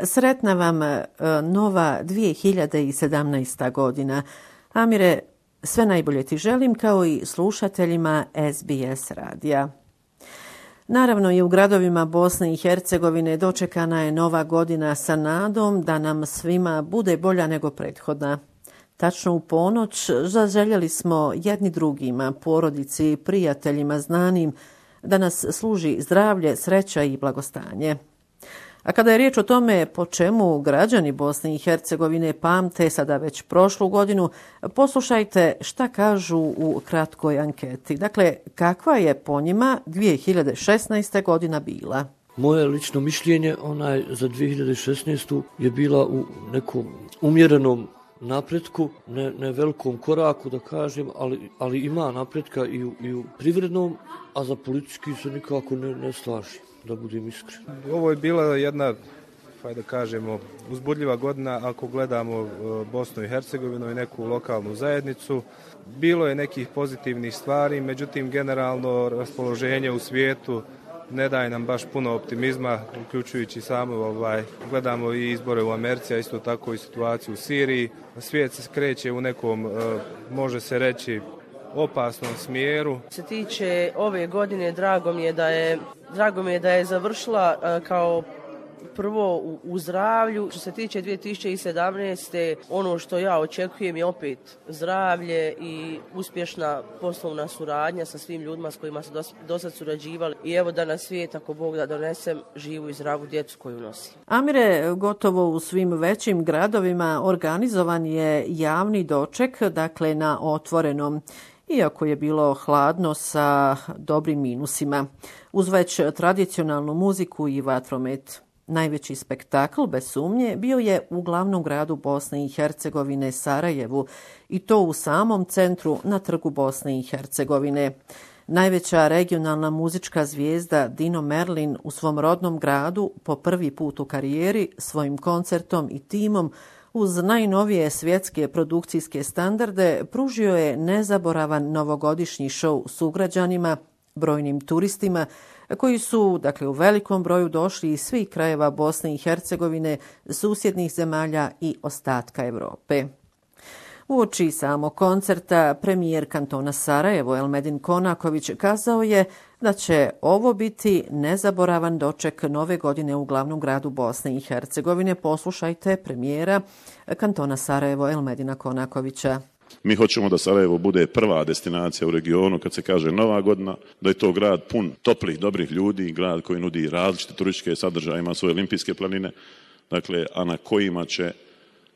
Sretna vam nova 2017. godina. Amire, sve najbolje ti želim kao i slušateljima SBS radija. Naravno i u gradovima Bosne i Hercegovine dočekana je nova godina sa nadom da nam svima bude bolja nego prethodna. Tačno u ponoć zaželjeli smo jedni drugima, porodici, prijateljima, znanim, da nas služi zdravlje, sreća i blagostanje. A kada je riječ o tome po čemu građani Bosne i Hercegovine pamte sada već prošlu godinu, poslušajte šta kažu u kratkoj anketi. Dakle, kakva je po njima 2016. godina bila? Moje lično mišljenje za 2016. je bila u nekom umjerenom napretku, ne velikom koraku da kažem, ali ima napretka i u privrednom, a za politički se nikako ne slažem, da budem iskren. Ovo je bila jedna, da kažemo, uzbudljiva godina ako gledamo Bosnu i Hercegovinu i neku lokalnu zajednicu. Bilo je nekih pozitivnih stvari, međutim generalno raspoloženje u svijetu ne daje nam baš puno optimizma, uključujući samo gledamo i izbore u Americi, a isto tako i situaciju u Siriji. Svijet se kreće u nekom, može se reći, opasnom smjeru. Što se tiče ove godine, drago mi je da je završila kao prvo u zdravlju. Što se tiče 2017. ono što ja očekujem je opet zdravlje i uspješna poslovna suradnja sa svim ljudima s kojima se dosad surađivali. I evo da na svijet, ako Bog da donesem, živu i zdravu djecu koju nosi. Amire, gotovo u svim većim gradovima organizovan je javni doček, dakle na otvorenom, iako je bilo hladno sa dobrim minusima, uz već tradicionalnu muziku i vatromet. Najveći spektakl, bez sumnje, bio je u glavnom gradu Bosne i Hercegovine, Sarajevu, i to u samom centru na trgu Bosne i Hercegovine. Najveća regionalna muzička zvijezda Dino Merlin u svom rodnom gradu po prvi put u karijeri svojim koncertom i timom uz najnovije svjetske produkcijske standarde pružio je nezaboravan novogodišnji šou sugrađanima, brojnim turistima koji su, dakle, u velikom broju došli iz svih krajeva Bosne i Hercegovine, susjednih zemalja i ostatka Europe. Uoči samog koncerta premijer kantona Sarajevo Elmedin Konaković kazao je da će ovo biti nezaboravan doček nove godine u glavnom gradu Bosne i Hercegovine. Poslušajte premijera kantona Sarajevo Elmedina Konakovića. Mi hoćemo da Sarajevo bude prva destinacija u regionu kad se kaže nova godina, da je to grad pun toplih, dobrih ljudi, grad koji nudi različite turističke sadržaje, ima svoje olimpijske planine, dakle, a na kojima će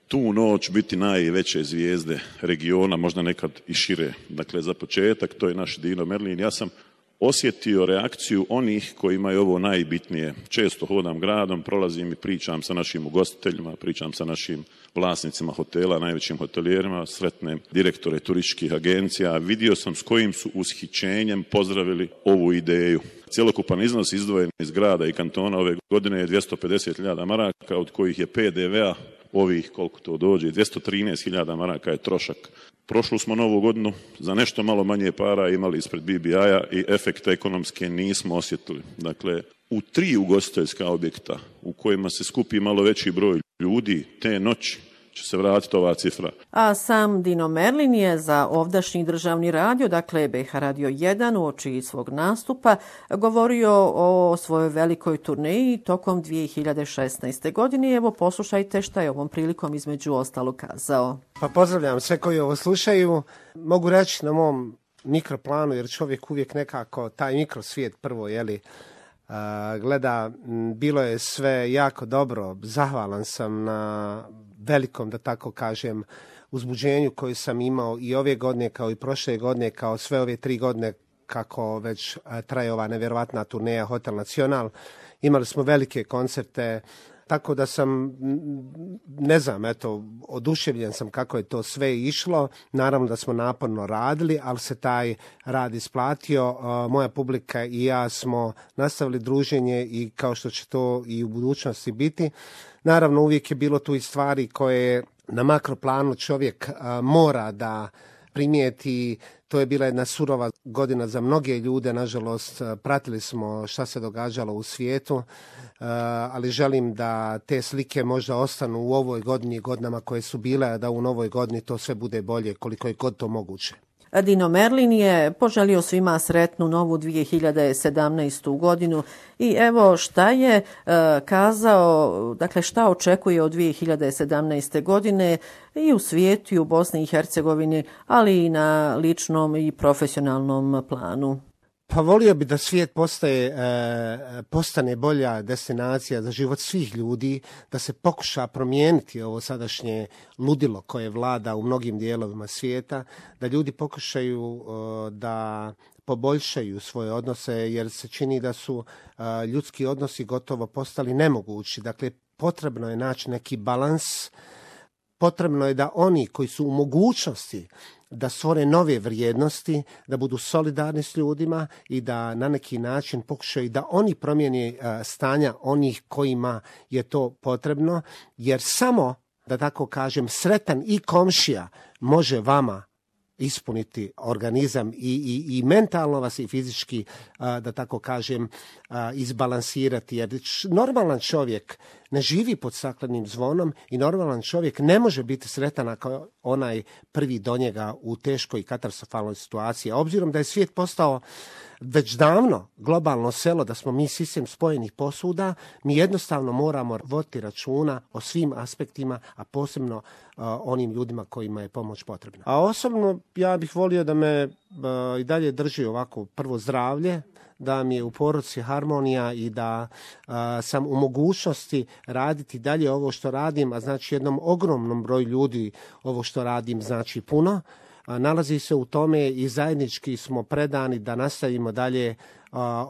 tu noć biti najveće zvijezde regiona, možda nekad i šire. Dakle, za početak, to je naš Dino Merlin. Ja sam osjetio reakciju onih kojima je ovo najbitnije. Često hodam gradom, prolazim i pričam sa našim ugostiteljima, pričam sa našim vlasnicima hotela, najvećim hotelijerima, sretnem direktore turističkih agencija. Vidio sam s kojim su ushićenjem pozdravili ovu ideju. Cjelokupan iznos izdvojen iz grada i kantona ove godine je 250.000 maraka, od kojih je PDV-a ovih, koliko to dođe, 213.000 maraka je trošak. Prošlu smo novu godinu za nešto malo manje para imali ispred BBI-a i efekte ekonomske nismo osjetili. Dakle, u 3 ugostiteljska objekta u kojima se skupi malo veći broj ljudi, te noći će se vratiti ova cifra. A sam Dino Merlin je za ovdašnji državni radio, dakle BH Radio 1, uoči svog nastupa govorio o svojoj velikoj turneji tokom 2016. godine. Evo, poslušajte šta je ovom prilikom između ostalog kazao. Pa pozdravljam sve koji ovo slušaju. Mogu reći na mom mikroplanu, jer čovjek uvijek nekako taj mikrosvijet prvo, gleda, bilo je sve jako dobro. Zahvalan sam na velikom, da tako kažem, uzbuđenju koju sam imao i ove godine, kao i prošle godine, kao sve ove 3 godine kako već traje ova nevjerovatna turneja Hotel Nacional. Imali smo velike koncerte, tako da sam, oduševljen sam kako je to sve išlo. Naravno da smo naporno radili, ali se taj rad isplatio. Moja publika i ja smo nastavili druženje i kao što će to i u budućnosti biti. Naravno, uvijek je bilo tu i stvari koje na makroplanu čovjek mora da primijeti. To je bila jedna surova godina za mnoge ljude, nažalost pratili smo šta se događalo u svijetu, ali želim da te slike možda ostanu u ovoj godini i godinama koje su bile, a da u novoj godini to sve bude bolje koliko je god to moguće. Dino Merlin je poželio svima sretnu novu 2017. godinu i evo šta je kazao, dakle šta očekuje od 2017. godine i u svijetu i u Bosni i Hercegovini, ali i na ličnom i profesionalnom planu. Pa volio bi da svijet postane bolja destinacija za život svih ljudi, da se pokuša promijeniti ovo sadašnje ludilo koje vlada u mnogim dijelovima svijeta, da ljudi pokušaju da poboljšaju svoje odnose, jer se čini da su ljudski odnosi gotovo postali nemogući. Dakle, potrebno je naći neki balans, potrebno je da oni koji su u mogućnosti da stvore nove vrijednosti, da budu solidarni s ljudima i da na neki način pokušaju da oni promijene stanja onih kojima je to potrebno, jer samo, da tako kažem, sretan i komšija može vama ispuniti organizam i mentalno vas i fizički, da tako kažem, izbalansirati. Jer normalan čovjek ne živi pod staklenim zvonom i normalan čovjek ne može biti sretan ako onaj prvi do njega u teškoj i katastrofalnoj situaciji. A obzirom da je svijet postao već davno globalno selo, da smo mi sistem spojenih posuda, mi jednostavno moramo voditi računa o svim aspektima, a posebno onim ljudima kojima je pomoć potrebna. A osobno ja bih volio da me i dalje drži ovako prvo zdravlje, da mi je u porodici harmonija i da sam u mogućnosti raditi dalje ovo što radim, a znači jednom ogromnom broju ljudi ovo što radim znači puno. Nalazi se u tome i zajednički smo predani da nastavimo dalje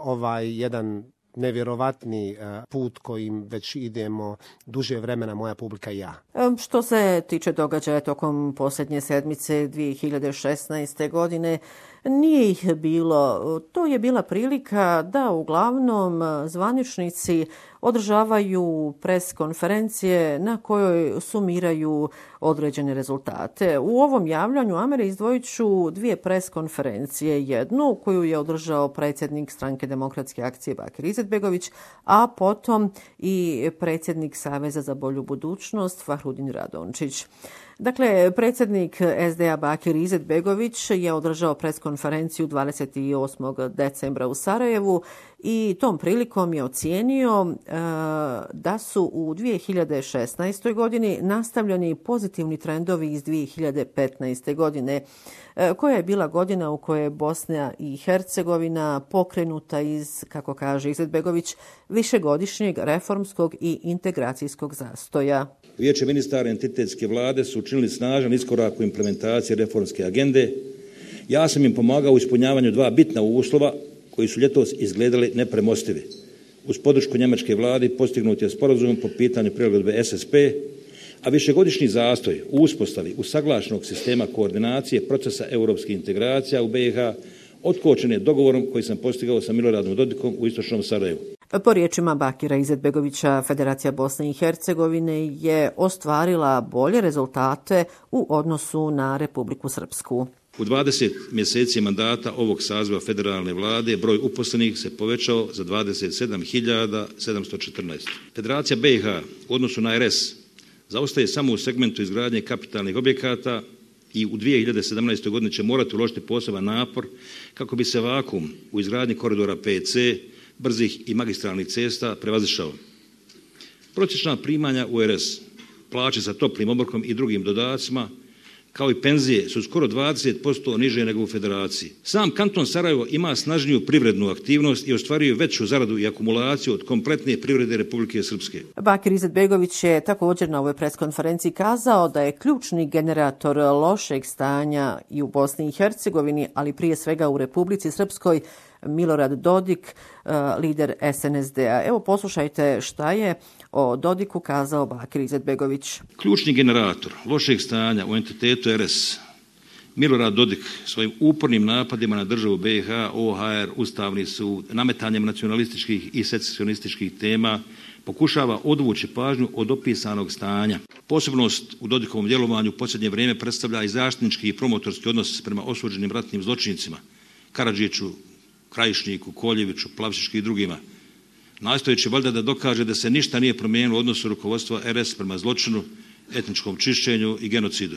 ovaj jedan nevjerovatni put kojim već idemo duže vremena, moja publika i ja. Što se tiče događaja tokom posljednje sedmice 2016. godine, nije ih bilo. To je bila prilika da uglavnom zvaničnici održavaju pres konferencije na kojoj sumiraju određene rezultate. U ovom javljanju Amere izdvojit ću dvije pres konferencije. Jednu koju je održao predsjednik Stranke demokratske akcije Bakir Izetbegović, a potom i predsjednik Saveza za bolju budućnost Fahrudin Radončić. Dakle, predsjednik SDA Bakir Izetbegović je održao pres konferenciju 28. decembra u Sarajevu i tom prilikom je ocijenio da su u 2016. godini nastavljeni pozitivni trendovi iz 2015. godine, koja je bila godina u kojoj je Bosna i Hercegovina pokrenuta iz, kako kaže Izetbegović, višegodišnjeg reformskog i integracijskog zastoja. Vijeće ministara entitetske vlade su učinili snažan iskorak u implementaciji reformske agende. Ja sam im pomagao u ispunjavanju dva bitna uslova koji su ljetos izgledali nepremostivi. Uz podršku njemačke vlade postignut je sporazum po pitanju prilagodbe SSP, a višegodišnji zastoj u uspostavi usaglašenog sistema koordinacije procesa europskih integracija u BiH otkočen je dogovorom koji sam postigao sa Miloradom Dodikom u istočnom Sarajevu. Po riječima Bakira Izetbegovića, Federacija Bosne i Hercegovine je ostvarila bolje rezultate u odnosu na Republiku Srpsku. U 20 mjeseci mandata ovog saziva federalne vlade broj uposlenih se povećao za 27.714. Federacija BiH u odnosu na RS zaostaje samo u segmentu izgradnje kapitalnih objekata i u 2017. godini će morati uložiti poseban napor kako bi se vakuum u izgradnji koridora PC, brzih i magistralnih cesta prevazišao. Prosječna primanja u RS, plaće sa toplim obrokom i drugim dodacima, kao i penzije su skoro 20% niže nego u Federaciji. Sam kanton Sarajevo ima snažniju privrednu aktivnost i ostvaruje veću zaradu i akumulaciju od kompletne privrede Republike Srpske. Bakir Izetbegović je također na ovoj preskonferenciji kazao da je ključni generator lošeg stanja i u Bosni i Hercegovini, ali prije svega u Republici Srpskoj, Milorad Dodik, lider SNSD-a. Evo poslušajte šta je o Dodiku kazao Bakir Izetbegović. Ključni generator lošeg stanja u entitetu RS, Milorad Dodik, svojim upornim napadima na državu BiH, OHR, Ustavni sud, nametanjem nacionalističkih i secesionističkih tema, pokušava odvući pažnju od opisanog stanja. Posebnost u Dodikovom djelovanju u posljednje vrijeme predstavlja i zaštitnički i promotorski odnos prema osuđenim ratnim zločincima, Karadžiću, Krajišniku, Koljeviću, Plavšićki i drugima, nastojeći valjda da dokaže da se ništa nije promijenilo u odnosu rukovodstva RS prema zločinu, etničkom čišćenju i genocidu.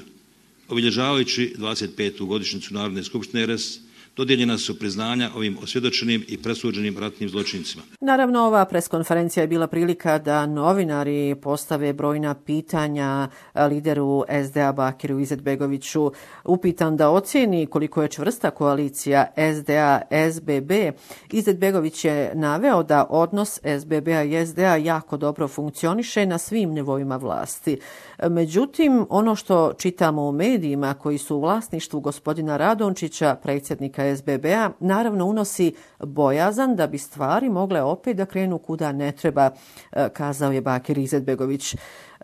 Obilježavajući 25. godišnjicu Narodne skupštine RS, dodijeljena su priznanja ovim osvjedočenim i presuđenim ratnim zločincima. Naravno, ova preskonferencija je bila prilika da novinari postave brojna pitanja lideru SDA Bakiru Izetbegoviću. Upitan da ocijeni koliko je čvrsta koalicija SDA-SBB, Izetbegović je naveo da odnos SBB-a i SDA jako dobro funkcioniše na svim nivoima vlasti. Međutim, ono što čitamo u medijima koji su u vlasništvu gospodina Radončića, predsjednika SBB-a, naravno unosi bojazan da bi stvari mogle opet da krenu kuda ne treba, kazao je Bakir Izetbegović.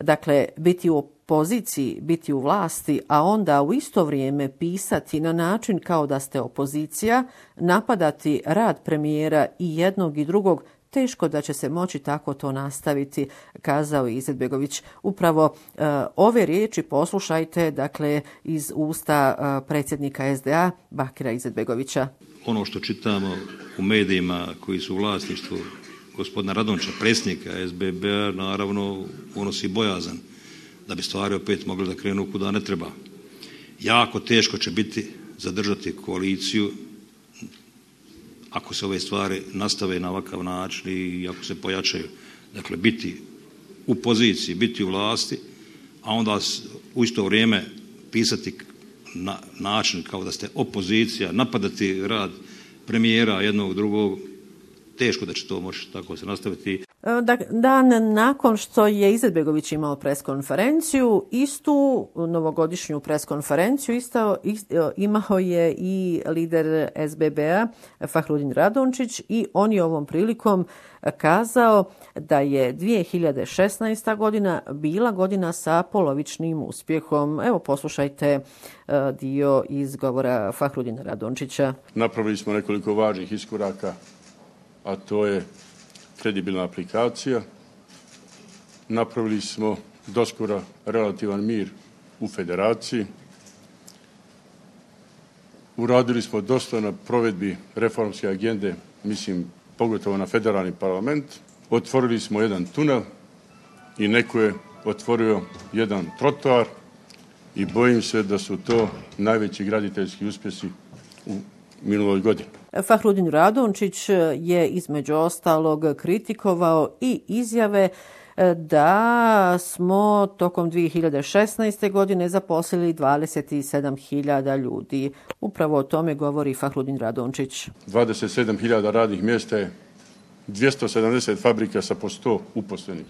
Dakle, biti u opoziciji, biti u vlasti, a onda u isto vrijeme pisati na način kao da ste opozicija, napadati rad premijera i jednog i drugog, teško da će se moći tako to nastaviti, kazao je Izetbegović. Upravo ove riječi poslušajte, dakle, iz usta predsjednika SDA Bakira Izetbegovića. Ono što čitamo u medijima koji su u vlasništvu gospodina Radončića, predsjednika SBB-a, naravno unosi bojazan da bi stvari opet mogle da krenu kuda ne treba. Jako teško će biti zadržati koaliciju ako se ove stvari nastave na ovakav način i ako se pojačaju. Dakle, biti u poziciji, biti u vlasti, a onda u isto vrijeme pisati na način kao da ste opozicija, napadati rad premijera jednog drugog, teško da će to moći tako se nastaviti. Dan nakon što je Izetbegović imao preskonferenciju, istu novogodišnju preskonferenciju imao je i lider SBB-a Fahrudin Radončić i on je ovom prilikom kazao da je 2016. godina bila godina sa polovičnim uspjehom. Evo poslušajte dio iz govora Fahrudina Radončića. Napravili smo nekoliko važnih iskoraka, a to je kredibilna aplikacija. Napravili smo doskora relativan mir u federaciji. Uradili smo dosta na provedbi reformske agende, mislim pogotovo na federalni parlament. Otvorili smo jedan tunel i neko je otvorio jedan trotoar i bojim se da su to najveći graditeljski uspjesi u minuloj godini. Fahrudin Radončić je između ostalog kritikovao i izjave da smo tokom 2016. godine zaposlili 27.000 ljudi. Upravo o tome govori Fahrudin Radončić. 27.000 radnih mjesta je 270 fabrika sa po 100 uposlenih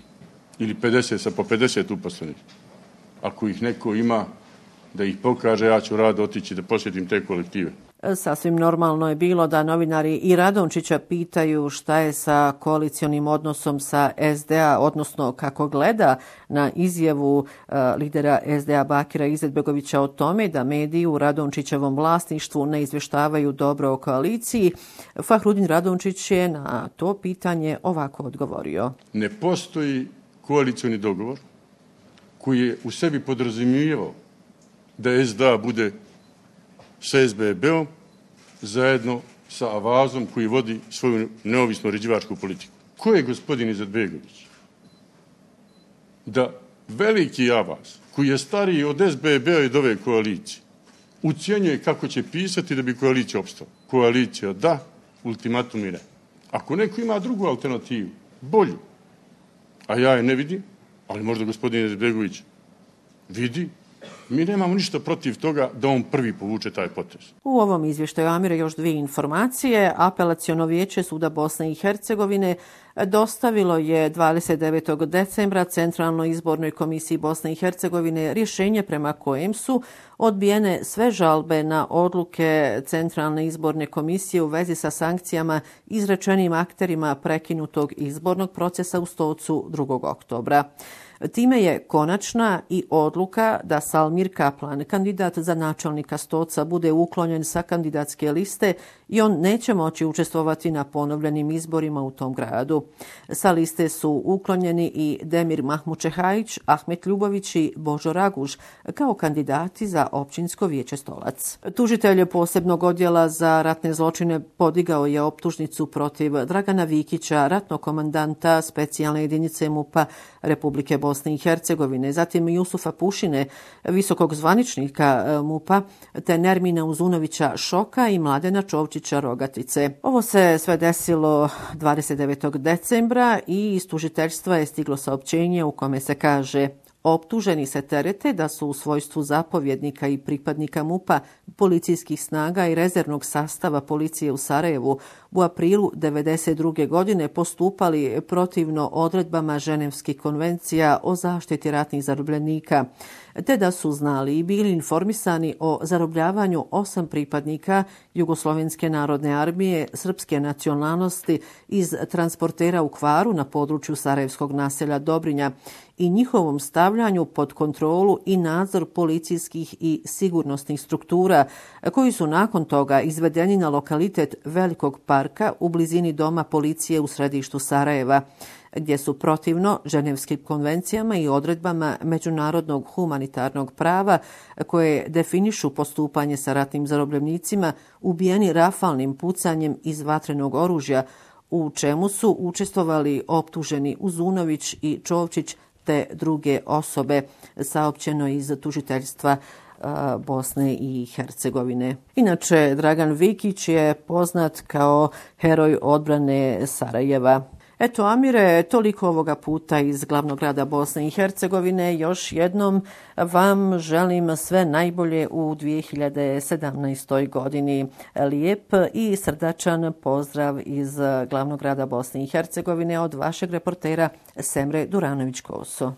ili 50 sa po 50 uposlenih. Ako ih neko ima da ih pokaže, ja ću rado otići da posjetim te kolektive. Sasvim normalno je bilo da novinari i Radončića pitaju šta je sa koalicionim odnosom sa SDA, odnosno kako gleda na izjavu lidera SDA Bakira Izetbegovića o tome da mediji u Radončićevom vlasništvu ne izvještavaju dobro o koaliciji. Fahrudin Radončić je na to pitanje ovako odgovorio. Ne postoji koalicioni dogovor koji je u sebi podrazumijevao da SDA bude sa SBB-om zajedno sa Avazom koji vodi svoju neovisnu uređivačku politiku. Ko je gospodin Izetbegović? Da veliki Avaz, koji je stariji od SBB-a i od ove koalicije, ucijenjuje kako će pisati da bi koalicija opstala. Koalicija da, ultimatum i ne. Ako neko ima drugu alternativu, bolju, a ja je ne vidim, ali možda gospodin Izetbegović vidi, mi nemamo ništa protiv toga da on prvi povuče taj potez. U ovom izvještaju Amire još dvije informacije. Apelaciono vijeće Suda Bosne i Hercegovine dostavilo je 29. decembra Centralnoj izbornoj komisiji Bosne i Hercegovine rješenje prema kojem su odbijene sve žalbe na odluke Centralne izborne komisije u vezi sa sankcijama izrečenim akterima prekinutog izbornog procesa u Stocu 2. oktobra. Time je konačna i odluka da Salmir Kaplan, kandidat za načelnika Stoca, bude uklonjen sa kandidatske liste i on neće moći učestvovati na ponovljenim izborima u tom gradu. Sa liste su uklonjeni i Demir Mahmučehajić, Ahmet Ljubović i Božo Raguž kao kandidati za općinsko vijeće Stolac. Tužitelj posebnog odjela za ratne zločine podigao je optužnicu protiv Dragana Vikića, ratnog komandanta specijalne jedinice MUP-a Republike Bosne i Hercegovine, zatim Jusufa Pušine, visokog zvaničnika MUP-a, te Nermina Uzunovića Šoka i Mladena Čovčića Rogatice. Ovo se sve desilo 29. decembra i iz tužiteljstva je stiglo saopćenje u kome se kaže: optuženi se terete da su u svojstvu zapovjednika i pripadnika MUP-a, policijskih snaga i rezervnog sastava policije u Sarajevu u aprilu 1992. godine postupali protivno odredbama Ženevskih konvencija o zaštiti ratnih zarobljenika, te da su znali i bili informisani o zarobljavanju 8 pripadnika Jugoslovenske narodne armije srpske nacionalnosti iz transportera u Kvaru na području sarajevskog naselja Dobrinja i njihovom stavljanju pod kontrolu i nadzor policijskih i sigurnosnih struktura, koji su nakon toga izvedeni na lokalitet Velikog parka u blizini doma policije u središtu Sarajeva, gdje su protivno Ženevskim konvencijama i odredbama međunarodnog humanitarnog prava koje definišu postupanje sa ratnim zarobljenicima ubijeni rafalnim pucanjem iz vatrenog oružja, u čemu su učestvovali optuženi Uzunović i Čovčić te druge osobe, saopćeno iz tužiteljstva Bosne i Hercegovine. Inače, Dragan Vikić je poznat kao heroj odbrane Sarajeva. Eto, Amire, toliko ovoga puta iz glavnog grada Bosne i Hercegovine. Još jednom vam želim sve najbolje u 2017. godini. Lijep i srdačan pozdrav iz glavnog grada Bosne i Hercegovine od vašeg reportera Semre Duranović-Koso.